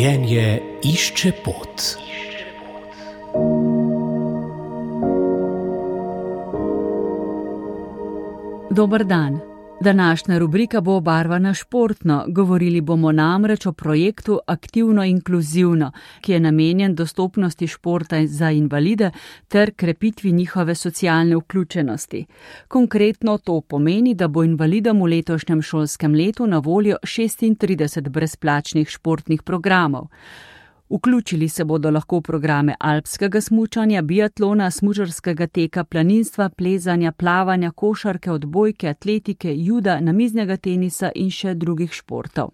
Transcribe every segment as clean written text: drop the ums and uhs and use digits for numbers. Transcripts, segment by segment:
Življenje išče pot. Dober dan. Današnja rubrika bo obarvana športno. Govorili bomo namreč o projektu Aktivno-inkluzivno, ki je namenjen dostopnosti športa za invalide ter krepitvi njihove socialne vključenosti. Konkretno to pomeni, da bo invalidom v letošnjem šolskem letu na voljo 36 brezplačnih športnih programov. Vključili se bodo lahko v programe alpskega smučanja, biatlona, smučarskega teka, planinstva, plezanja, plavanja, košarke, odbojke, atletike, juda, namiznega tenisa in še drugih športov.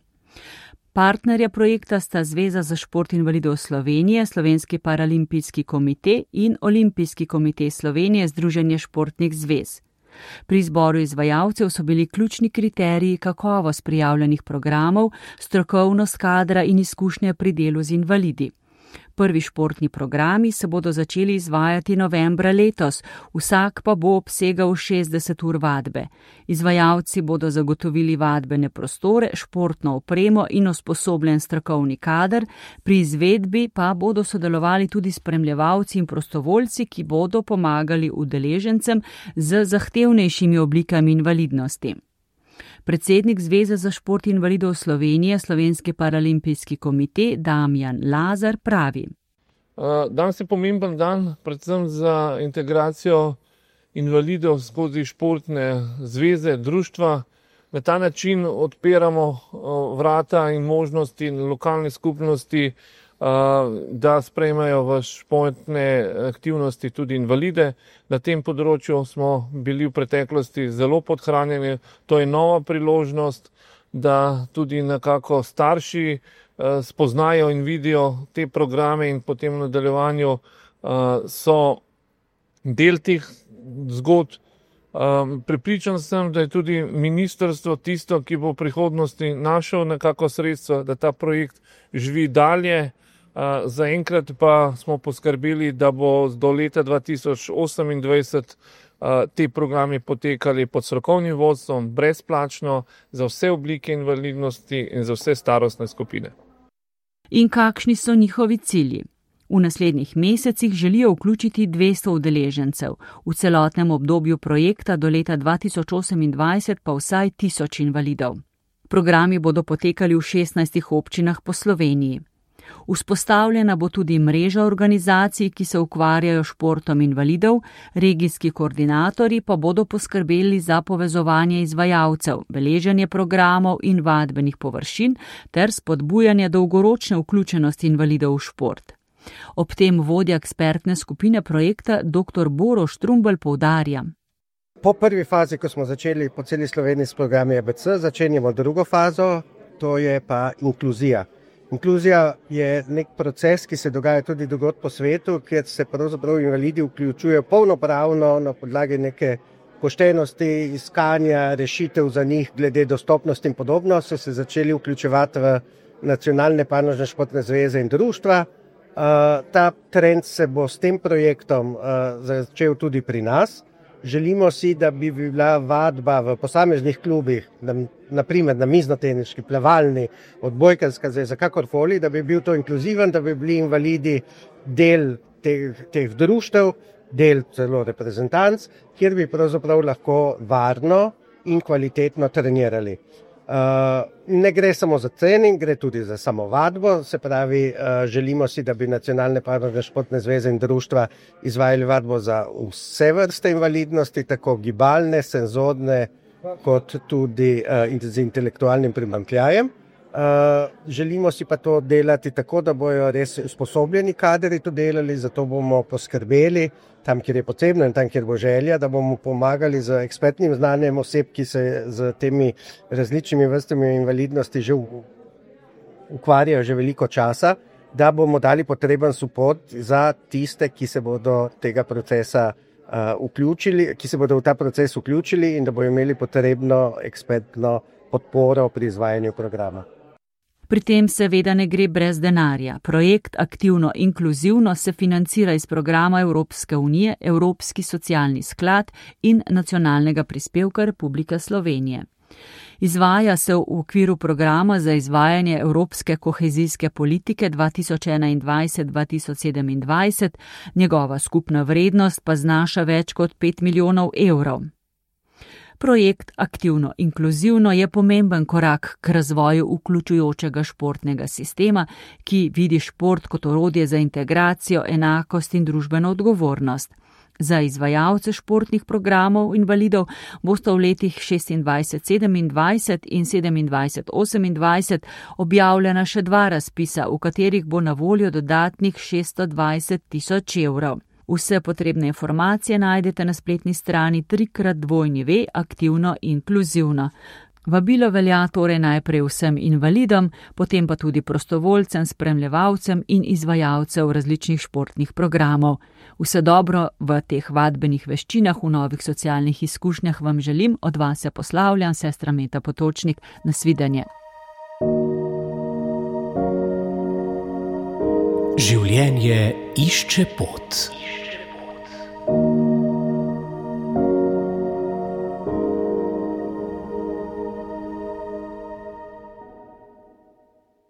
Partnerja projekta sta Zveza za šport invalidov Slovenije, Slovenski paralimpijski komite in Olimpijski komite Slovenije, Združenje športnih zvez. Pri izboru izvajalcev so bili ključni kriteriji kakovost prijavljenih programov, strokovnost kadra in izkušnje pri delu z invalidi. Prvi športni programi se bodo začeli izvajati novembra letos, vsak pa bo obsegal 60 ur vadbe. Izvajalci bodo zagotovili vadbene prostore, športno opremo in usposobljen strokovni kader, pri izvedbi pa bodo sodelovali tudi spremljevalci in prostovoljci, ki bodo pomagali udeležencem z zahtevnejšimi oblikami invalidnosti. Predsednik Zveze za šport invalidov Slovenije, Slovenski paralimpijski komite Damjan Lazar pravi. Danes je pomemben dan, predvsem za integracijo invalidov skozi športne zveze, društva. Na ta način odpiramo vrata in možnosti lokalne skupnosti, da sprejmejo v športne aktivnosti tudi invalide. Na tem področju smo bili v preteklosti zelo podhranjeni. To je nova priložnost, da tudi nekako starši spoznajo in vidijo te programe in potem v nadaljevanju so del teh zgodb. Prepričan sem, da je tudi ministrstvo tisto, ki bo v prihodnosti našel nekako sredstva, da ta projekt živi dalje. Zaenkrat pa smo poskrbeli, da bo do leta 2028 te programi potekali pod strokovnim vodstvom, brezplačno, za vse oblike invalidnosti in za vse starostne skupine. In kakšni so njihovi cilji? V naslednjih mesecih želijo vključiti 200 udeležencev, v celotnem obdobju projekta do leta 2028 pa vsaj 1000 invalidov. Programi bodo potekali v 16 občinah po Sloveniji. Vzpostavljena bo tudi mreža organizacij, ki se ukvarjajo športom invalidov, regijski koordinatorji pa bodo poskrbeli za povezovanje izvajalcev, beleženje programov in vadbenih površin ter spodbujanje dolgoročne vključenosti invalidov v šport. Ob tem vodja ekspertne skupine projekta dr. Boro Štrumbelj poudarja. Po prvi fazi, ko smo začeli po celi Sloveniji s programi ABC, začenjamo drugo fazo, to je pa inkluzija. Inkluzija je nek proces, ki se dogaja tudi drugod po svetu, kjer se pravzaprav invalidi vključujejo polnopravno na podlagi neke poštenosti, iskanja rešitev za njih glede dostopnosti in podobno, so se začeli vključevati v nacionalne panožne športne zveze in društva. Ta trend se bo s tem projektom začel tudi pri nas. Želimo si, da bi bila vadba v posameznih klubih, naprimer namiznoteniški, plavalni, odbojkarska zveza, kakorkoli, da bi bil to inkluziven, da bi bili invalidi del teh društev, del celo reprezentanc, kjer bi pravzaprav lahko varno in kvalitetno trenirali. Ne gre samo za trening, gre tudi za samo vadbo, se pravi, želimo si, da bi nacionalne panožne športne zveze in društva izvajali vadbo za vse vrste invalidnosti, tako gibalne, senzorne, kot tudi z intelektualnim primanjkljajem. Želimo si pa to delati tako, da bojo res usposobljeni kadri to delali, zato bomo poskrbeli tam, kjer je potrebno in tam, kjer bo želja, da bomo pomagali z ekspertnim znanjem oseb, ki se z temi različnimi vrstami invalidnosti že ukvarjajo že veliko časa, da bomo dali potreben suport za tiste, ki se bodo tega procesa vključili, ki se bodo v ta proces vključili in da bodo imeli potrebno ekspertno podporo pri izvajanju programa. Pri tem seveda ne gre brez denarja. Projekt Aktivno-inkluzivno se financira iz programa Evropske unije, Evropski socialni sklad in nacionalnega prispevka Republike Slovenije. Izvaja se v okviru programa za izvajanje evropske kohezijske politike 2021-2027, njegova skupna vrednost pa znaša več kot 5 milijonov evrov. Projekt Aktivno inkluzivno je pomemben korak k razvoju vključujočega športnega sistema, ki vidi šport kot orodje za integracijo, enakost in družbeno odgovornost. Za izvajalce športnih programov invalidov bosta v letih 26-27 in 27-28 objavljena še 2 razpisa, v katerih bo na voljo dodatnih 620 tisoč evrov. Vse potrebne informacije najdete na spletni strani www.aktivnoinkluzivno. Vabilo velja torej najprej vsem invalidom, potem pa tudi prostovoljcem, spremljevalcem in izvajalcev različnih športnih programov. Vse dobro v teh vadbenih veščinah, v novih socialnih izkušnjah vam želim, od vas se poslavljam, sestra Meta Potočnik, nasvidenje. Življenje išče pot.